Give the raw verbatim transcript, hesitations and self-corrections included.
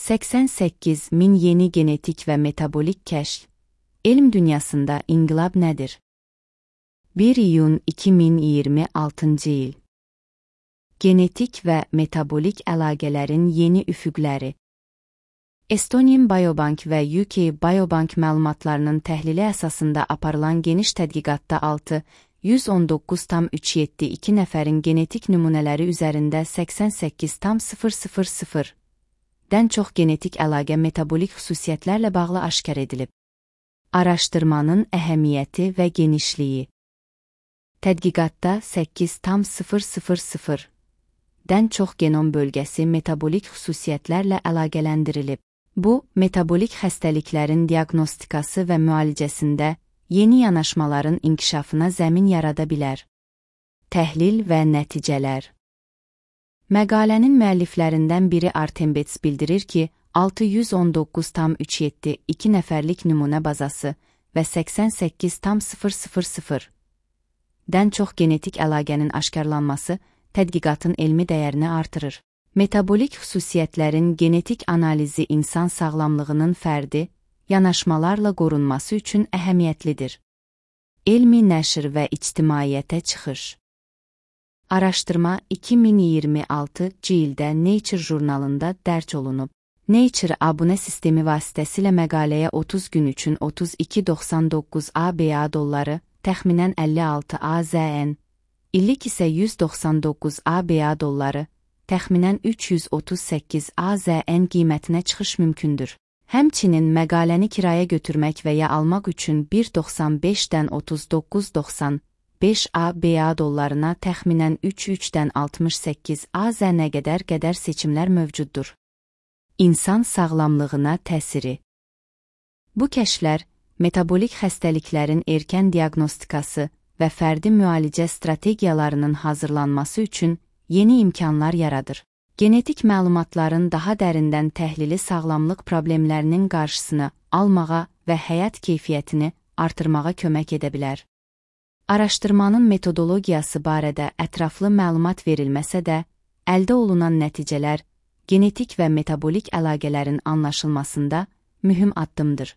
səksən səkkiz min yeni genetik və metabolik kəşf. Elm dünyasında inqilab nədir? bir iyun iki min iyirmi altıncı il. Genetik və metabolik əlaqələrin yeni üfüqləri. Estonian Biobank və U K Biobank məlumatlarının təhlili əsasında aparılan geniş tədqiqatda altı yüz on doqquz tam üç yeddi iki nəfərin genetik nümunələri üzərində səksən səkkiz tam sıfır sıfır sıfır dən çox genetik əlaqə metabolik xüsusiyyətlərlə bağlı aşkar edilib. Araşdırmanın əhəmiyyəti və genişliyi. Tədqiqatda səkkiz tam sıfır sıfır sıfır dən çox genom bölgəsi metabolik xüsusiyyətlərlə əlaqələndirilib. Bu, metabolik xəstəliklərin diaqnostikası və müalicəsində yeni yanaşmaların inkişafına zəmin yarada bilər. Təhlil və nəticələr. Məqalənin müəlliflərindən biri Artem Betts bildirir ki, altı yüz on doqquz tam üç yeddi iki nəfərlik nümunə bazası və səksən səkkiz tam sıfır sıfır sıfır dən çox genetik əlaqənin aşkarlanması tədqiqatın elmi dəyərini artırır. Metabolik xüsusiyyətlərin genetik analizi insan sağlamlığının fərdi, yanaşmalarla qorunması üçün əhəmiyyətlidir. Elmi nəşr və ictimaiyyətə çıxış. Araşdırma iki min iyirmi altıncı ildə Nature jurnalında dərc olunub. Nature abunə sistemi vasitəsilə məqaləyə otuz gün üçün otuz iki doxsan doqquz ABA dolları, təxminən əlli altı AZN, illik isə yüz doxsan doqquz ABA dolları, təxminən üç yüz otuz səkkiz AZN qiymətinə çıxış mümkündür. Həmçinin məqaləni kiraya götürmək və ya almaq üçün bir doxsan beşdən otuz doqquz doxsan beş ABA dollarına təxminən üç üçdən altmış səkkiz AZN qədər qədər seçimlər mövcuddur. İnsan sağlamlığına təsiri. Bu kəşflər, metabolik xəstəliklərin erkən diaqnostikası və fərdi müalicə strategiyalarının hazırlanması üçün yeni imkanlar yaradır. Genetik məlumatların daha dərindən təhlili sağlamlıq problemlərinin qarşısını almağa və həyat keyfiyyətini artırmağa kömək edə bilər. Araşdırmanın metodologiyası barədə ətraflı məlumat verilməsə də, əldə olunan nəticələr genetik və metabolik əlaqələrin anlaşılmasında mühüm addımdır.